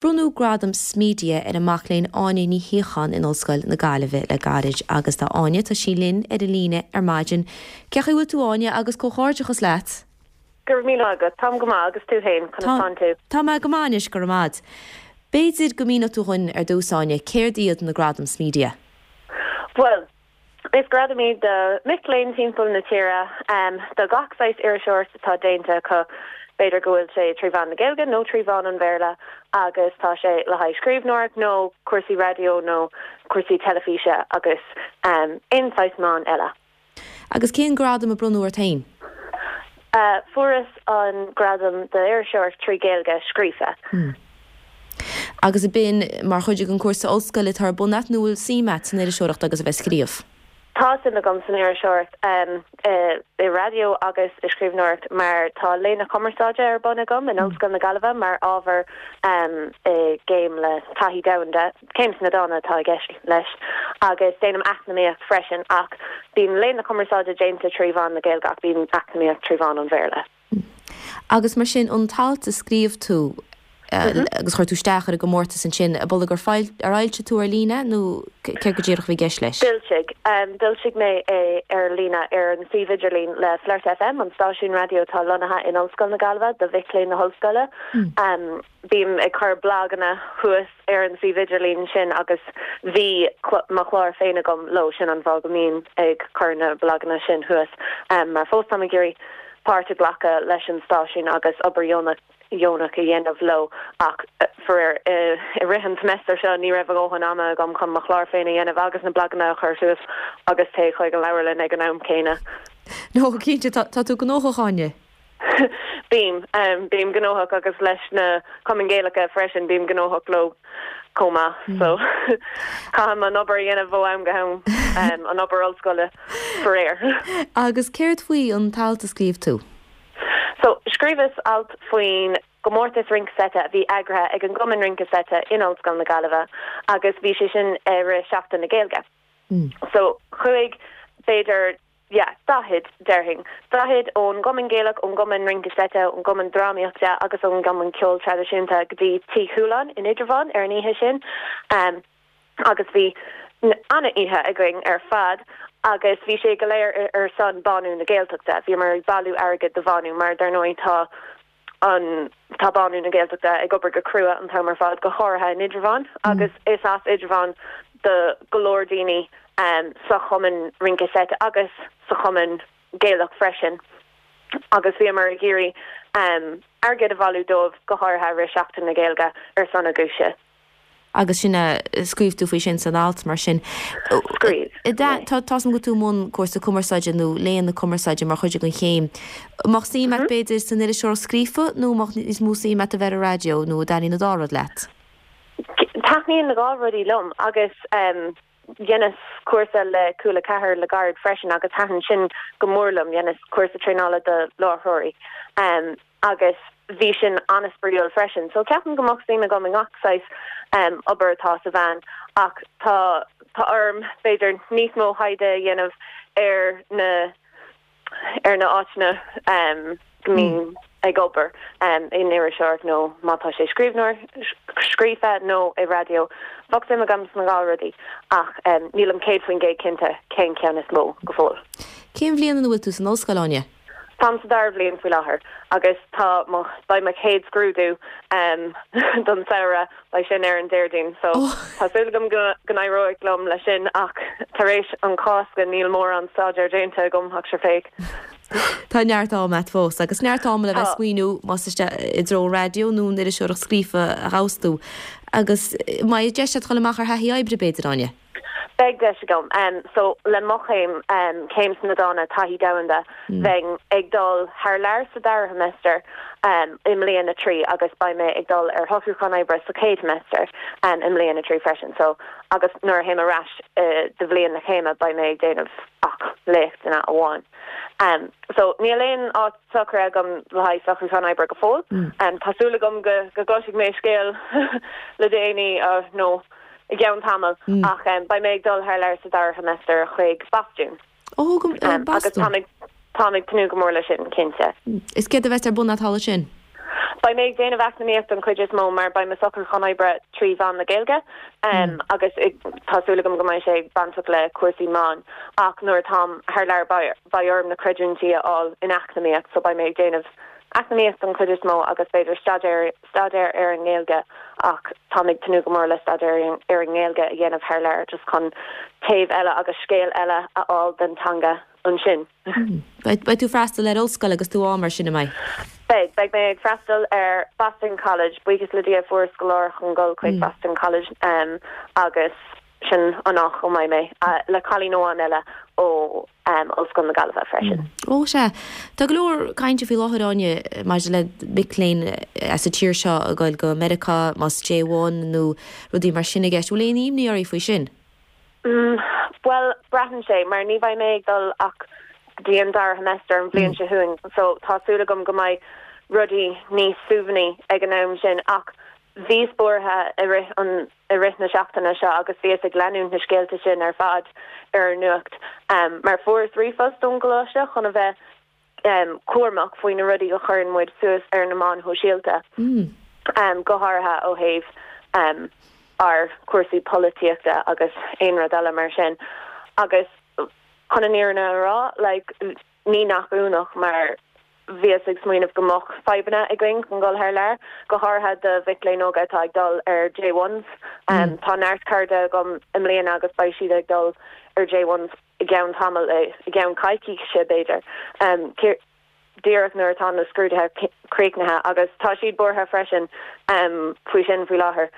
Bronnadh Gradam SMedia ar an mac léinn Áine Ní Shíocháin in Ollscoil na Gaillimhe le gairid agus tá Áine, tá sí linn ar an líne ar maidin. Cén chaoi a bhfuil tú Áine agus comhghairdeachas leat. Go raibh míle agat. Táim go maith agus tú féin, conas tánn tú? Tá mé go maith anois, go raibh maith. B'fhéidir go míneodh tú dhúinn ar dtús Áine, céard iad na Gradaim SMedia? Bhuel, Is gradam iad do mhic léinn timpeall na tíre do gach saghas iriseoireacht atá déanta acu, b'fhéidir go bhfuil sé trí mheán na Gaeilge nó trí mheán an Bhéarla agus tá sé le haghaidh scríbhneoireacht nó cúrsaí raidió nó cúrsaí teilifíse agus aon saghas meán eile. Agus cén gradam a bronnadh ort féin? Fuaireas an gradam d'iriseoireacht trí Ghaeilge scríofa. Agus ab in mar chuid den chúrsa ollscoile atá ar bun a't nó bhfuil suim a't san iriseoireacht agus a bheith ag scríobh? Tá suim agam san iriseoireacht, i raidió agus i scríbhneoireacht mar tá Léann na Cumarsáide ar bun agam in Ollscoil na Gaillimhe mar ábhar i gcéim le taithí domhanda, céim sna dána atá i gceist leis, agus déanaim eacnamaíocht freisin ach bíonn Léann na Cumarsáide déanta trí mheán na Gaeilge ach bíonn eacnamaíocht trí mheán an Bhéarla. Agus mar sin, an t-alt a scríobh tú agus chuir tú isteach ar an gcomórtas ansin, ab amhlaidh gur ar fhoilsigh tú ar líne nó céard go díreach a bhí i gceist leis? D'fhoilsigh. D'fhoilsigh mé é ar líne ar an suíomh idirlín le Flirt FM, an stáisiún raidió atá lonnaithe in Ollscoil na Gaillimhe do mhic léinn na hollscoile. Bím ag cur blaganna thuas ar an suíomh idirlín sin agus bhí mo chlár féin agam leo, sin an fáth go mbím ag cur na blaganna sin thuas mar fós táim ag iarraidh páirt a ghlacadh leis an stáisiún agus obair dheonach dheonach a dhéanamh leo ach faraor i rith an tseimeastair seo ní raibh a dhóthain ama agam chun mo chlár féin a dhéanamh agus na blaganna a chur suas agus téigh chuig an leabharlann ag an am céanna. No, cinnte, tá tú gnóthach, Áine. Bím. Bím gnóthach agus leis na Cumainn Gaelacha freisin, bím gnóthach leo chomh maith. So, caithim an obair a dhéanamh ó am go ham, an obair ollscoile, faraor. Agus céard faoi an t-alt a scríobh tú? So, scríobhas alt faoin gcomórtas Rince Seite a bhí eagraithe ag an gCumann Rince Seite in Ollscoil na Gaillimhe agus bhí sé sin i rith Seachtain na Gaeilge. So, chuaigh b'fhéidir Yeah, 40, déarfainn. 40 ón gCumann Gaelach, ón gCumann Rince Seite, ón gCumann Drámaíochta agus ón gCumann Ceoil Traidisiúnta go dtí Tigh Chualáin in Indreabhán ar an oíche sin. Agus bhí an-oíche againn ar fad agus bhí sé go léir ar son Bánú na Gaeltachta. Bhíomar ag bailiú airgid do Bhánú mar dar ndóigh tá an tá Bánú na Gaeltachta ag obair go crua an t-am ar fad, go háirithe in Indreabhán agus is as Indreabhán do go leor daoine sa Chumann Rince Seite agus sa Chumann Gaelach freisin agus bhíomar ag iarraidh airgead a bhailiú dóibh, go háirithe i rith Seachtain na Gaeilge, ar son a gcúise. Agus sin é, scríobh tú faoi sin san alt, mar sin. Scríobh mé. Tá 's agam go bhfuil tú i mbun cúrsa cumarsáide nó léann na cumarsáide mar chuid den chéim. An mbeadh suim agat, b'fhéidir, san iriseoireacht scríofa nó an mbeadh níos mó suim agat a bheith ar an raidió nó an dtaitníonn an dá rud leat? Taitníonn na dhá rudaí liom agus dheineas cúrsa le Cúla 4 le gairid freisin agus thaitin sin go mór liom, dheineas cúrsa traenála do láithreoirí. agus bhí sin an-spraíúil freisin. So ceapaim go mbeadh suim agam i ngach saghas obair atá sa mheán ach tá tá orm b'fhéidir níos mó thaighde a dhéanamh ar na ar na áiteanna go mbím ag obair in iriseoireacht nó má tá sé scríbhneoir scríofa nó i raidió. Bheadh suim agam sna dhá rudaí ach nílim 100% cinnte cén ceann is mó go fóill. Cén bhliain ina bhfuil tú san ollscoil, Áine? Táim sa dara bhliain faoi láthair agus tá mo, beidh mo chéad scrúdú don samhradh, beidh sin ar an Déardaoin so tá súil agam go n-éireoidh liom leis sin ach tar éis an Chásca níl mórán staidéir déanta agam ach sure féach. Tá neart ama a't fós agus neart ama le bheith ag smaoineamh más isteach i dtreo an raidió nó an iriseoireacht scríofa a ghabhfas tú agus mbeidh deis a't dhul amach ar thaithí oibre b'fhéidir, Áine? Beidh deis agam. So, le mo chéim, céim sna dána, taithí domhanda, bheinn ag dul thar lear sa dara seimeastar i mbliain a 3 agus beidh mé ag dul ar shocrúchán oibre sa chéad seimeastar i mbliain a 3 freisin. So, agus nuair a théim ar ais do bhliain na céime beidh mé ag déanamh ach léachtanna amháin. So, níl aon áit socraithe agam le haghaidh socrúchán oibre go fóill. Tá súil agam go gcloisfidh mé scéal le déanaí nó i gceann tamaill ach beidh mé ag dul thar lear sa dara seimeastar chuig Bostún. Ó, go Bostún. Agus táim ag tnúth go mór leis sin, cinnte. Is céard a bheas ar bun a't thall ansin? Beidh mé ag déanamh eacnamaíocht don chuid is mó mar beidh mo socrúchán oibre trí mheán na Gaeilge agus tá súil agam go mbeidh sé bainteach le cúrsaí meán ach nuair atáim thar lear beidh orm na creidiúintí a fháil in eacnamaíocht so beidh mé ag déanamh eacnamaíocht don chuid is mó agus b'fhéidir staidéar staidéar ar an nGaeilge ach táim ag tnúth go mór le staidéar ar an nGaeilge a dhéanamh thar lear just chun taobh eile agus scéal eile a fháil den teanga ansin. Beidh tú ag freastal ar ollscoil agus tú ann mar sin, an mbeidh? Beidh. Beidh mé ag freastal ar Boston College. Buíochas le Dia fuaireas scoláireacht chun dul chuig Boston College agus sin an áit a mbeidh mé, le cailín amháin eile ó Ollscoil na Gaillimhe freisin. Ó sea. Tá go leor cainte faoi láthair, Áine, maidir le mic léinn as an tír seo ag goil go Meiriceá, más J1 nó rudaí mar sin i gceist. Bhfuil aon imní oraibh faoi sin? Bhuel, braitheann sé, mar ní bheidh mé ag dul ach go dtí an dara seimeastar an bhliain seo chugainn, so tá súil agam go mbeidh rudaí níos suaimhní ag an am sin. Ach bhíos buartha i rith an, i rith na seachtaine seo agus bhíos ag leanúint na scéalta sin ar fad ar an nuacht, mar fuaireas ríomhphost ón gcoláiste chun a bheith cúramach faoi na rudaí a chuireann muid suas ar na meáin shóisialta, go háirithe ó thaobh ár cúrsaí polaitíochta agus aon rud eile mar sin. Agus chun an fhírinne a rá, like, ní nach ionadh mar bhíos ag smaoineamh go mbeadh fadhbanna againn chun dul thar lear, go háirithe do mhic léinn óga atá ag dul ar J1s. Tá neart cairde agam i mbliana agus beidh siad ag dul ar J1s i gceann tamaill, i gceann coicíse b'fhéidir, díreach nuair atá na scrúduithe críochnaithe agus tá siad buartha freisin faoi sin faoi láthair.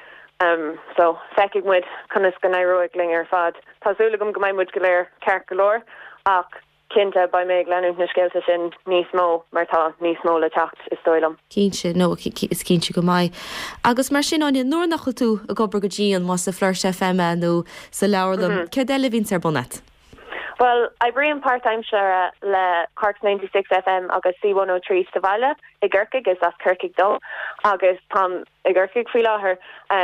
So, feicfidh muid conas go n-éireoidh linn ar fad. Tá súil agam go mbeidh muid go léir ceart go leor ach cinnte beidh mé ag leanúint na scéalta sin níos mó mar tá níos mó le teacht is dóigh liom. Cinnte, nó is cinnte go mbeidh. Agus mar sin, Áine, nuair nach bhfuil tú ag obair go dian, más i Flirt FM é nó sa leabharlann, céard eile a bhíonns ar bun a't? Bhuel, oibrím páirtaimseartha le Cork's 96 FM agus C103 sa bhaile i gCorcaigh, is as Corcaigh dom agus táim i gCorcaigh faoi láthair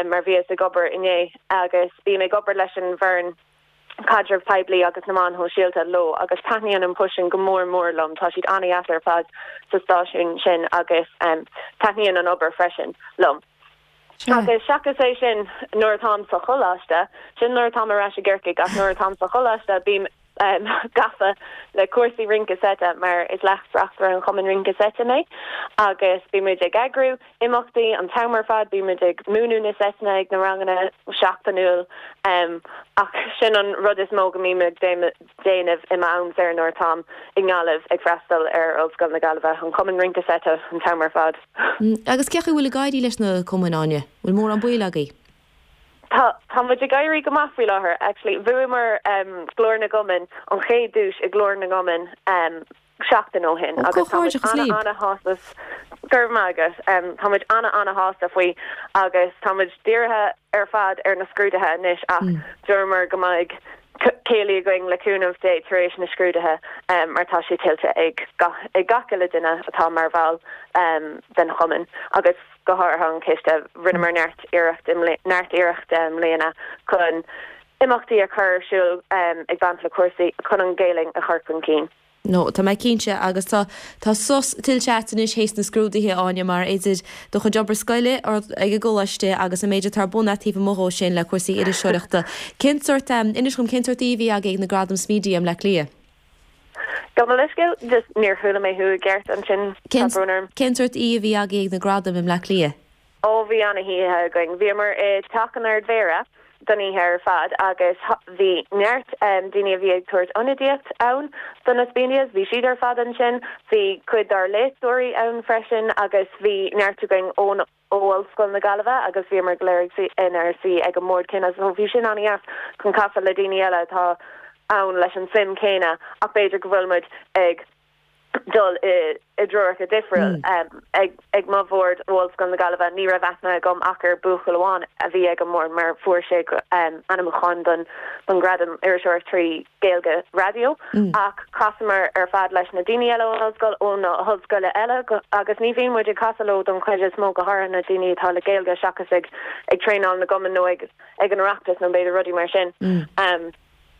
mar bhíos ag obair inné agus bím ag obair leis an bhfoireann caidreamh poiblí agus na meáin shóisialta leo agus taitníonn an post sin go mór mór liom. Tá siad an-dheas ar fad sa stáisiún sin agus taitníonn an obair freisin liom. Agus seachas é sin, nuair atáim sa choláiste, sin nuair atáim ar ais i gCorcaigh, ach nuair atáim sa choláiste bím gafa le cúrsaí rince seite mar is leas-reachtaire an Chumainn Rince Seite mé agus bímid ag eagrú imeachtaí an t-am ar fad, bímid ag múineadh na seiteanna ag na ranganna seachtainiúil ach sin an rud is mó go mbím ag déanamh i m'am saor nuair atáim i nGaillimh ag freastal ar Ollscoil na Gaillimhe, an Cumann Rince Seite an t-am ar fad. Agus cén chaoi a bhfuil ag éirí leis na cumainn, Áine? Bhfuil mórán baill agaibh? Tá, tá muid ag éirí go maith faoi láthair actually. Bhuamar Glór na gCumann, an chéad duais i nGlór na gCumann seachtain ó shin agus tá muid ana-ana-shásta, go raibh maith agat, tá muid ana-ana-shásta faoi agus tá muid dírithe ar fad ar na scrúduithe anois ach dúramar go mbeidh céilí againn le cúnamh Dé tar éis na scrúduithe mar tá sé tuillte ag ag gach uile duine atá mar bhall den chumann agus go háirithe an ciste. Rinneamar neart iarracht neart iarrachta i mbliana chun imeachtaí a chur ar siúl ag baint le cúrsaí chun an Ghaelainn a chur chun cinn. No, tá mé cinnte, agus tá, tá sos tuillte a't anois théis na scrúduithe, Áine, mar idir do chuid obair scoile ag an gcoláiste agus an méid atá ar bun a't taobh amuigh dhó sin le cúrsaí iriseoireachta. Cén sórt, inis dhom, cén sórt oíche a bhí agaibh ag na Gradaim Smedia i mBleá Cliath? Gabh mo leithscéal, just níor chuala mé thú i gceart ansin, tá brón orm. Cén sórt oíche a bhí agaibh ag na Gradaim i mBleá Cliath? Ó bhí ana-oíche againn. Bhíomar i dTeach an Ard-Mhéara don oíche ar fad agus bhí neart daoine a bhí ag tabhairt ionadaíocht ann do na Smedias, bhí siad ar fad ansin. Bhí cuid dár léachtóirí ann freisin agus bhí neart againn ón ó Ollscoil na Gaillimhe agus bhíomar go léir ag suí inár suí ag an mbord céanna so bhí sin ana-dheas chun casadh le daoine eile atá ann leis an suim céanna ach b'fhéidir go bhfuil muid ag dul i dtreoracha difriúil. Ag mo bhord ó Ollscoil na Gaillimhe ní raibh aithne agam ach ar buachaill amháin a bhí ag an mbord mar fuair sé ainmniúchán don ghradam Iriseoireacht trí Ghaeilge Raidió ach chasamar ar fad leis na daoine eile ón ollscoil, ó na hollscoile eile agus ní bhíonn muid ag casadh leo don chuid is mó, go háirithe na daoine atá le Gaeilge seachas ag traenáil na gcumann nó ag an Oireachtas nó b'fhéidir rudaí mar sin.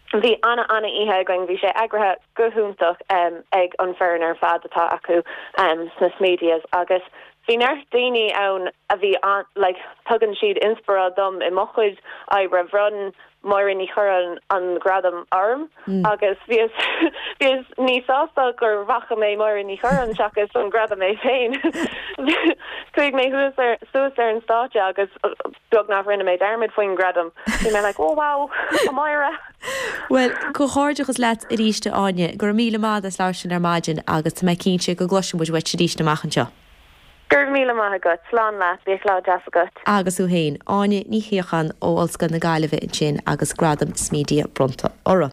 Bhí ana ana oíche againn, bhí sé eagraithe go hiontach ag an foireann ar fad atá acu sna Smedias agus. Bhí neart daoine ann a bhí an, like, tugann siad inspioráid dom i mo chuid oibre. Bhronn Máire Ní Churráin an gradam orm agus bhíos, bhíos níos sásta gur bhfaca mé Máire Ní Churráin seachas an gradam é féin. Chuaigh mé thuas ar, suas ar an stáitse agus beagnach rinne mé dearmad faoin ngradam. Bhí mé like, oh wow, a Mháire! Bhuel, comhghairdeachas leat arís a Áine. Go raibh míle maith as labhairt linn ar maidin agus tá mé cinnte go gcloisfidh muid uait arís amach anseo. Go raibh míle maith agat. Slán leat. Bíodh lá deas agat. Agus thú féin. Áine Ní Shíocháin ó Ollscoil na Gaillimhe ansin agus Gradam Smedia bronnta uirthi.